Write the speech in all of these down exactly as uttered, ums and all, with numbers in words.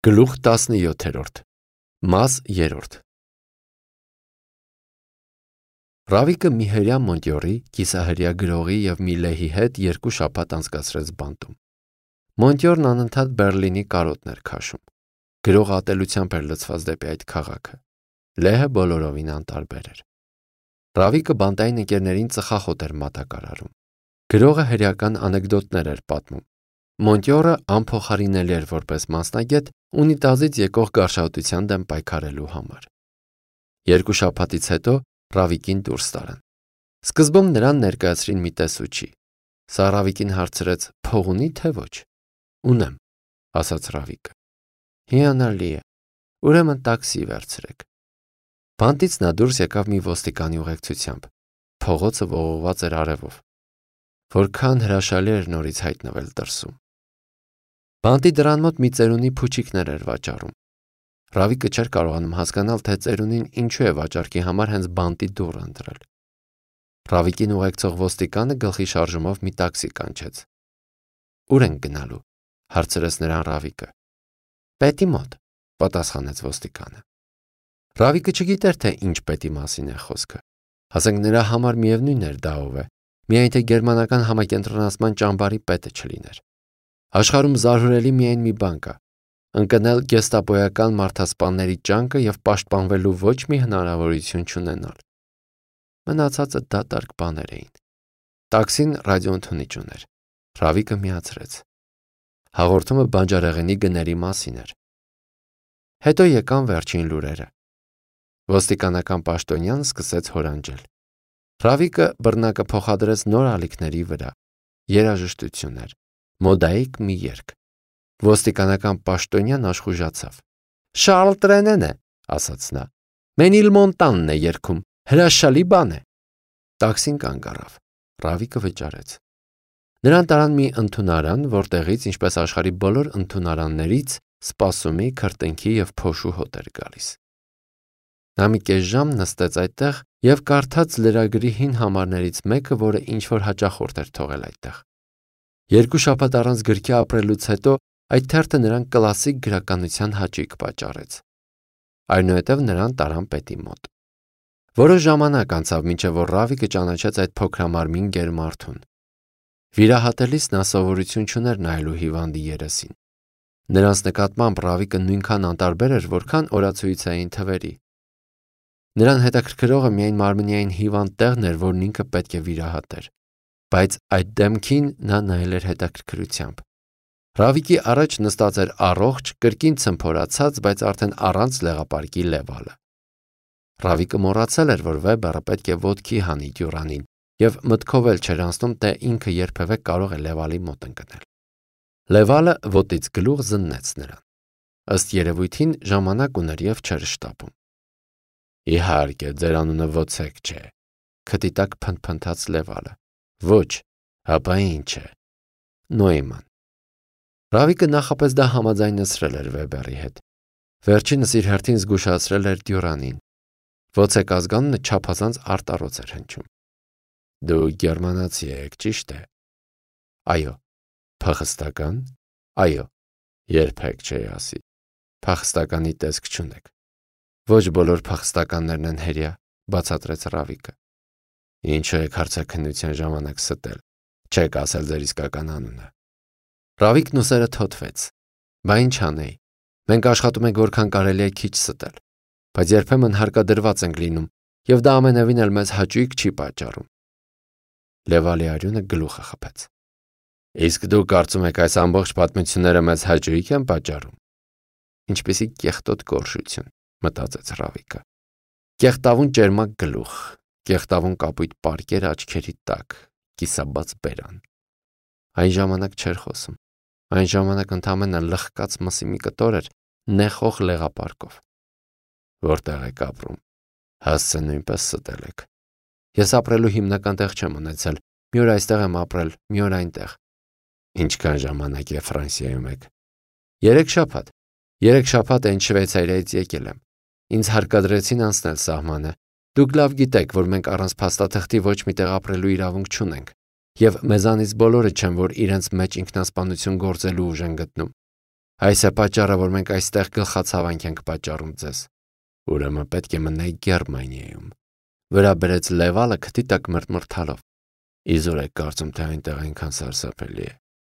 Գլուխ տասնյոթերորդ Մաս երրորդ Ռավիկը մի հրյա Մոնտյորի, կիսահրյա գրողի և մի լեհի հետ երկու շաբաթ անցկացրեց բանտում։ Մոնտյորն անընդհատ Բերլինի կարոտն էր քաշում։ Գրողը ատելությամբ էր լցված դեպի այդ քաղաքը։ Լեհը բոլորովին անտարբեր էր։ Ռավիկը բանտային ընկերներին ծխախոտ էր մատակարարում։ Գրողը հրեական անեկդոտներ էր պատմում։ Մոնտյորը անփոխարինելի էր որպես մասնագետ ունիտազից եկող գարշահոտության դեմ պայքարելու համար։ Երկու շաբաթից հետո Ռավիկին դուրս տարան։ Սկզբում նրան ներկայացրին մի տեսուչի։ Սա Ռավիկին հարցրեց. «Փող ունի թե ոչ»։ «Ունեմ», ասաց Ռավիկը։ «Հիանալի է, ուրեմն տաքսի վերցրեք»։ Բանտից նա դուրս եկավ մի ոստիկանի ուղեկցությամբ։ Փողոցը ողողված էր արևով։ Որքան հրաշալի էր նորից հայտնվել դրսում։ Բանտի դռան մոտ մի ծերունի փուչիկներ էր վաճառում։ Ռավիկը չէր կարողանում հասկանալ, թե ծերունին ինչու է վաճառքի համար հենց բանտի դուռ ընտրել։ Ռավիկին ուղեկցող ոստիկանը գլխի շարժումով մի տաքսի կանչեց։ «Ուր ենք գնալու»։ հարցրեց նրան Ռավիկը։ «Պետի մոտ», պատասխանեց ոստիկանը։ Ռավիկը չգիտեր, թե ինչ պետի մասին է խոսքը։ Ասենք նրա համար միևնույն էր դա ով է, միայն թե գերմանական համակենտրոնացման ճամբարի պետը չլիներ։ Աշխարհում զարհուրելի միայն մի բան կա՝ ընկնել գեստապոյական մարդասպանների ճանկը և պաշտպանվելու ոչ մի հնարավորություն չունենալ։ Մնացածը դատարկ բաներ էին։ Տաքսին ռադիոընդունիչ ուներ։ Ռավիկը միացրեց։ Հաղորդումը բանջարեղենի գների մասին էր։ Հետո եկան վերջին լուրերը։ Ոստիկանական պաշտոնյան սկսեց հորանջել։ Ռավիկը բռնակը փոխադրեց նոր ալիքների վրա։ Երաժշտություն էր։ Մոդայիկ մի երգ։ Ոստիկանական պաշտոնյան աշխուժացավ։ «Շարլ Տրենեն է», ասաց նա։ «Մենիլմոնտանն է երգում, հրաշալի բան է»։ Տաքսին կանգ առավ։ Ռավիկը վճարեց։ Նրան տարան մի ընդունարան, որտեղից, ինչպես աշխարհի բոլոր ընդունարաններից, սպասումի, քրտինքի և փոշու հոտ էր գալիս։ Նա մի կես ժամ նստեց այդտեղ և կարդաց լրագրի հին համարներից մեկը, որը ինչ-որ հաճախորդ էր թողել այդտեղ։ Երկու շաբաթ առանց գրքի ապրելուց հետո այդ թերթը նրան կլասիկ գրականության հաճույք պատճառեց։ Այնուհետև նրան տարան պետի մոտ։ Որոշ ժամանակ անցավ, մինչև որ Ռավիկը ճանաչեց այդ փոքրամարմին գերմարդուն։ Վիրահատելիս նա սովորություն չուներ նայելու հիվանդի երեսին։ Նրանց նկատմամբ Ռավիկը նույնքան անտարբեր էր, որքան օրացույցային թվերի։ Նրան հետաքրքրողը միայն մարմնային հիվանդ տեղն էր, որն ինքը պետք է վիրահատեր։ Բայց այդ դեմքին նա նայել էր հետաքրքրությամբ։ Ռավիկի առաջ նստած էր առողջ, կրկին ցմփորացած, բայց արդեն առանց լեղապարկի Լևալը։ Ռավիկը մոռացել էր, որ Վեբերը պետք է ոտքի հանի դյուրանին, և մտքով էլ չէր անցնում, թե ինքը երբևէ կարող է Լևալի մոտ ընկնել։ Լևալը ոտից գլուխ զննեց նրան։ Ըստ երևույթին ժամանակ ուներ և չէր շտապում։ Իհարկե, ձեր անունը Վոցեք չէ, քթի տակ փնթփնթաց Լևալը։ Ոչ, ապա ինչ է։ Նոյման։ Ռավիկը նախապես դա համաձայնեցրել էր Վեբերի հետ։ Վերջինս իր հերթին զգուշացրել էր դյուրանին։ Վոցեք ազգանունը չափազանց արտառոց էր հնչում։ Դու գերմանացի եք, ճիշտ է։ Այո։ Փախստական։ Այո։ Երբեք չէի ասի։ Փախստականի տեսք չունեք։ Ոչ բոլոր փախստականներն են հերյա, բացատրեց Ռավիկը։ Ինչու եք հարցաքննության ժամանակ ստել։ Չեք ասել ձեր իսկական անունը։ Ռավիկն ուսերը թոթվեց։ Բա ինչ անեի։ Մենք աշխատում ենք որքան կարելի է քիչ ստել, բայց երբեմն հարկադրված ենք լինում, և դա ամենևին էլ մեզ հաճույք չի պատճառում։ Լևալի արյունը գլուխը խփեց։ Իսկ դու կարծում եք այս ամբողջ պատմությունները մեզ հաճույք են պատճառում։ Ինչպիսի կեղտոտ գորշություն, մտածեց Ռավիկը։ Կեղտավուն ճերմակ գլուխ, կեղտավուն կապույտ պարկեր աչքերի տակ, կիսաբաց բերան։ Այն ժամանակ չէր խոսում։ Այն ժամանակ ընդամենը լխկած մսի մի կտոր էր նեխող լեղապարկով։ Որտեղ եք ապրում։ Հասցե նույնպես ստել եք։ Ես ապրելու հիմնական տեղ չեմ ունեցել։ Մի օր այստեղ եմ ապրել, մի օր այնտեղ։ Ինչքան ժամանակ է Ֆրանսիայում եք։ Երեք շաբաթ։ Երեք շաբաթ այն Շվեյցարիայից եկել եմ։ Ինձ հարկադրեցին անցնել սահմանը։ Դուք լավ գիտեք, որ մենք առանց փաստաթղթի ոչ մի տեղ ապրելու իրավունք չունենք, և մեզանից բոլորը չեն, որ իրենց մեջ ինքնասպանություն գործելու ուժ են գտնում։ Այս է պատճառը, որ մենք այստեղ գլխացավանք ենք պատճառում ձեզ։ Ուրեմն պետք է մնայք Գերմանիայում։ Վրա բերեց Լևալը քթի տակ մրթմրթալով։ Իզուր եք կարծում, թե այնտեղ այնքան սարսափելի է։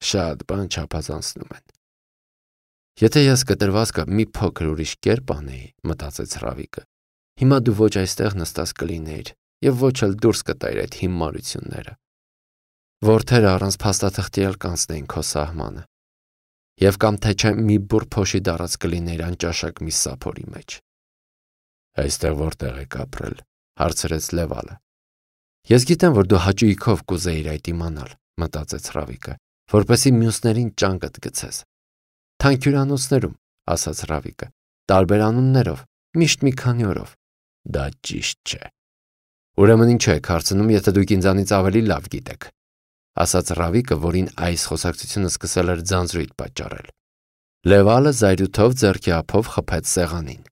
Շատ բան չափազանցնում են։ Եթե ես կտրվածքը մի փոքր ուրիշ կերպ անեի, մտածեց Ռավիկը, հիմա դու ոչ այստեղ նստած կլինեիր եւ ոչ էլ դուրս կտայր այդ հիմարությունները։ Որդերը առանց փաստաթղթի էլ կանցնեին քո սահմանը։ Եվ կամ թե չէ մի բուռ փոշի դարած կլիներ անճաշակ մի սափորի մեջ։ Այստեղ որտեղ եք ապրել, հարցրեց Լևալը։ Ես գիտեմ, որ դու հաճույքով կուզեիր այդ իմանալ, մտածեց Ռավիկը, որպեսզի մյուսներին ճանկդ գցես։ Թանկ հյուրանոցներում, ասաց Ռավիկը, տարբեր անուններով, միշտ մի քանի օրով։ Դա ճիշտ չէ։ Ուրեմն ինչու եք հարցնում, եթե դուք ինձանից ավելի լավ գիտեք, ասաց Ռավիկը, որին այս խոսակցությունը սկսել էր ձանձրույթ պատճառել։ Լևալը զայրույթով ձեռքի ափով խփեց սեղանին։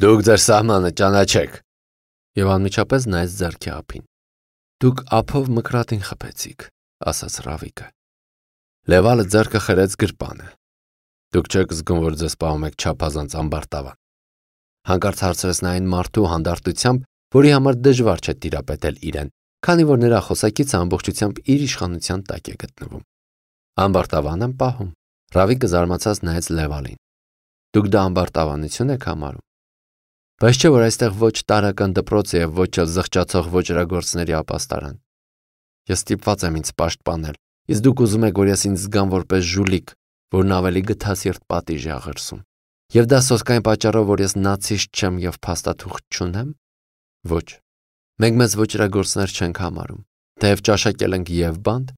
Դուք ձեր սահմանը ճանաչեք։ Եվ անմիջապես նայեց ձեռքի ափին։ Դուք ափով մկրատին խփեցիք, ասաց Ռավիկը։ Լևալը ձեռքը խրեց գրպանը։ Դուք չեք զգում, որ ձեզ պահում եք չափազանց ամբարտավան։ Հանկարծ հարցրեց նա այն մարդու հանդարտությամբ, որի համար դժվար չէ տիրապետել իրեն, քանի որ նրա խոսակիցը ամբողջությամբ իր իշխանության տակ է գտնվում։ Ամբարտավան եմ պահում։ Ռավիկը զարմացած նայեց Լևալին։ Դուք դա ամբարտավանություն եք համարում։ Բայց չէ՞ որ այստեղ ոչ տարրական դպրոց է եւ ոչ էլ զղջացող ոճրագործների ապաստարան։ Ես ստիպված եմ ինձ պաշտպանել, իսկ դուք ուզում եք, որ ես ինձ զգամ որպես ժուլիկ, որն ավելի գթասիրտ պատիժ է աղերսում։ Եվ դա սոսկային պատճառով, որ ես նացիստ չեմ եւ փաստաթուղթ չունեմ։ Ոչ։ Մենք մեզ ոճրագործներ չենք համարում, թեև ճաշակել ենք եւ բանդ,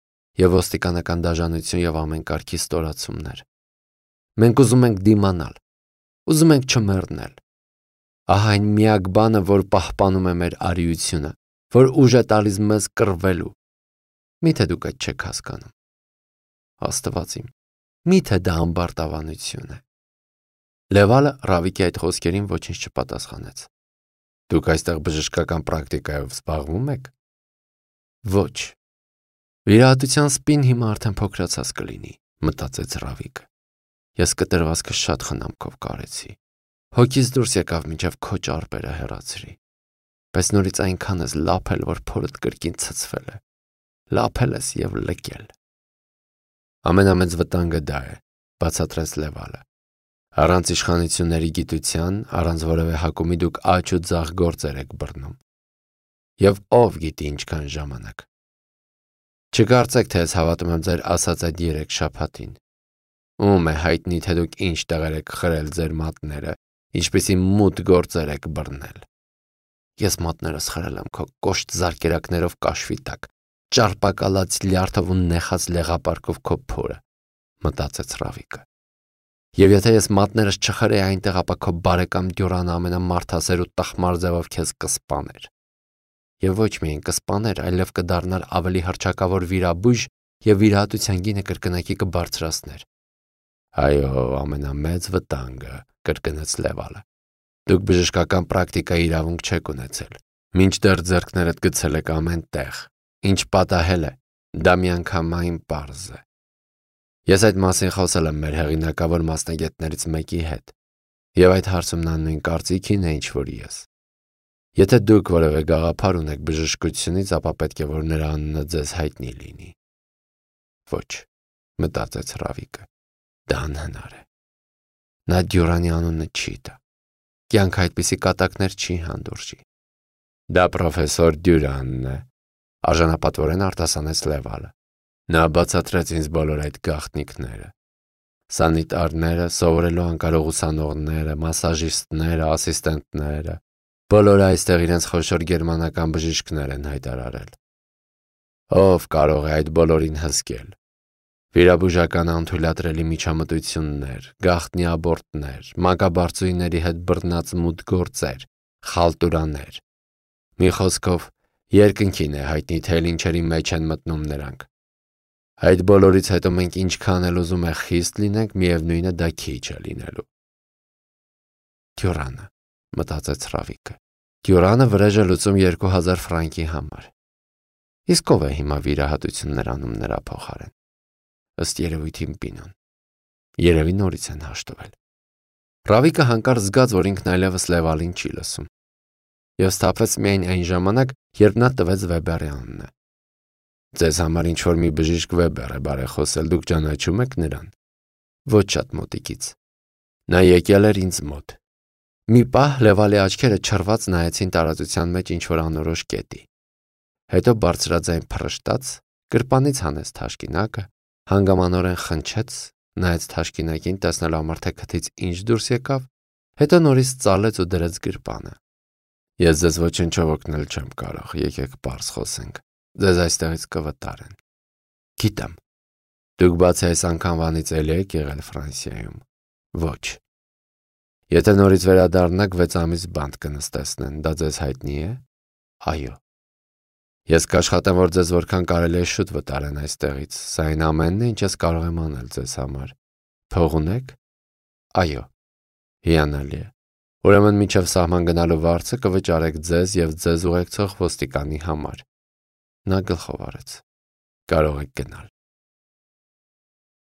եւ ոստիկանական դաժանություն եւ ամեն կարգի ստորացումներ։ Մենք ուզում ենք դիմանալ, ուզում ենք չմեռնել։ Ահա այն միակ բանը, որ պահպանում է մեր արիությունը, որ ուժ է տալիս մեզ կռվելու։ Միթե դուք այդ չեք հասկանում։ Աստված իմ, միթե դա ամբարտավանություն է։ Լևալը Ռավիկի այդ խոսքերին ոչինչ չպատասխանեց։ Դուք այստեղ բժշկական պրակտիկայով զբաղվում եք։ Ոչ։ Վիրահատության սպին հիմա արդեն փոքրացած կլինի, մտածեց Ռավիկը։ Ես կտրվածքը շատ խնամքով կարեցի։ Հոգիս դուրս եկավ մինչև քո ճարպերը հեռացրի։ Բայց նորից այնքան ես լափել, որ փորդ կրկին ցցվել է։ Լափել ես եւ լքել։ Ամենամեծ վտանգը դա է, բացատրեց Լևալը։ Առանց իշխանությունների գիտության, առանց որևէ հակումի դուք աճ ու ձախ գործեր եք բռնում։ Եվ ով գիտի ինչքան ժամանակ։ Չկարծեք, թե ես հավատում եմ ձեր ասած այդ երեք շաբաթին։ Ում է հայտնի, թե դուք ինչ տեղեր եք խրել ձեր մատները, ինչպիսի մութ գործեր եք բռնել։ Ես մատներս խրել եմ քո կոշտ զարկերակներով կաշվի տակ, ճարպակալած լյարդով ու նեխած լեղապարկով քո փորը, մտածեց Ռավիկը։ Եվ եթե ես մատներս չխրեի այնտեղ, ապա քո բարեկամ Դյուրանը ամենամարդասեր ու տխմար ձևով քեզ կսպաներ։ Եվ ոչ միայն կսպաներ, այլև կդառնար ավելի հռչակավոր վիրաբույժ եւ վիրահատության գինը կրկնակի կբարձրացներ։ Այո, ամենամեծ վտանգը, կրկնեց Լևալը։ Դուք բժշկական պրակտիկա իրավունք չեք ունեցել։ Մինչդեռ ձեռքներդ գցել եք ամեն տեղ։ Ինչ պատահել է, դա միանգամայն պարզ է։ Ես այդ մասին խոսել եմ մեր հեղինակավոր մասնագետներից մեկի հետ, եւ այդ հարցում նա նույն կարծիքին է, ինչ որ ես։ Եթե դուք որևէ գաղափար ունեք բժշկությունից, ապա պետք է որ նրա անունը ձեզ հայտնի լինի։ Ոչ, մտածեց Ռավիկը, դա անհնար է։ Նա Դյուրանի անունը չի տա։ Կյանքը այդպիսի կատակներ չի հանդուրժի։ Դա պրոֆեսոր Դյուրանն է, արժանապատվորեն արտասանեց Լևալը։ Նա բացատրեց ինձ բոլոր այդ գաղտնիքները։ Սանիտարները, սովորելու անկարող ուսանողները, մասաժիստները, ասիստենտները, բոլորը այստեղ իրենց խոշոր գերմանական բժիշկներ են հայտարարել։ Ով կարող է այդ բոլորին հսկել։ Վիրաբուժական անթույլատրելի միջամտություններ, գաղտնի աբորտներ, մանկաբարձուհիների հետ բռնած մութ գործեր, խալտուրաներ։ Մի խոսքով, երկնքին է հայտնի, թե ինչերի մեջ են մտնում նրանք։ Այդ բոլորից հետո մենք ինչքան էլ ուզում է խիստ լինենք, միևնույն է դա քիչ է լինելու։ Դյուրանը, մտածեց Ռավիկը։ Դյուրանը վրեժ է լուծում երկու հազար ֆրանկի համար։ Իսկ ով է հիմա վիրահատություններ անում նրա փոխարեն։ Ըստ երևույթին Պինոն։ Երևի նորից են հաշտվել։ Ռավիկը հանկարծ զգաց, որ ինքն այլևս Լևալին չի լսում, և սթափվեց միայն այն ժամանակ, երբ նա տվեց Վեբերի անունը։ Ձեզ համար ինչ-որ մի բժիշկ Վեբեր է բարեխոսել, դուք ճանաչում եք նրան։ Ոչ շատ մոտիկից։ Նա եկել էր ինձ մոտ։ Մի պահ Լևալի աչքերը չռված նայեցին տարածության մեջ ինչ-որ անորոշ կետի։ Հետո բարձրաձայն փռշտաց, գրպանից հանեց թաշկինակը, հանգամանորեն խնչեց, նայեց թաշկինակին, տեսնել համար թե քթից ինչ դուրս եկավ, հետո նորից ծալեց ու դրեց գրպանը։ Ես ձեզ ոչնչով օգնել չեմ կարող, եկեք պարզ խոսենք, ձեզ այստեղից կվտարեն։ Գիտեմ։ Դուք բացի այս անգամվանից էլի եք եղել Ֆրանսիայում։ Ոչ։ Եթե նորից վերադառնաք, վեց ամիս բանտ կնստեցնեն, դա ձեզ հայտնի է։ Այո։ Ես կաշխատեմ, որ ձեզ որքան կարելի է շուտ վտարեն այստեղից, սա այն ամենն է, ինչ ես կարող եմ անել ձեզ համար։ Փող ունեք։ Այո։ Հիանալի է։ Ուրեմն մինչև սահման գնալու վարձը կվճարեք ձեզ և ձեզ ուղեկցող ոստիկանի համար։ Նա գլխով արեց։ Կարող եք գնալ։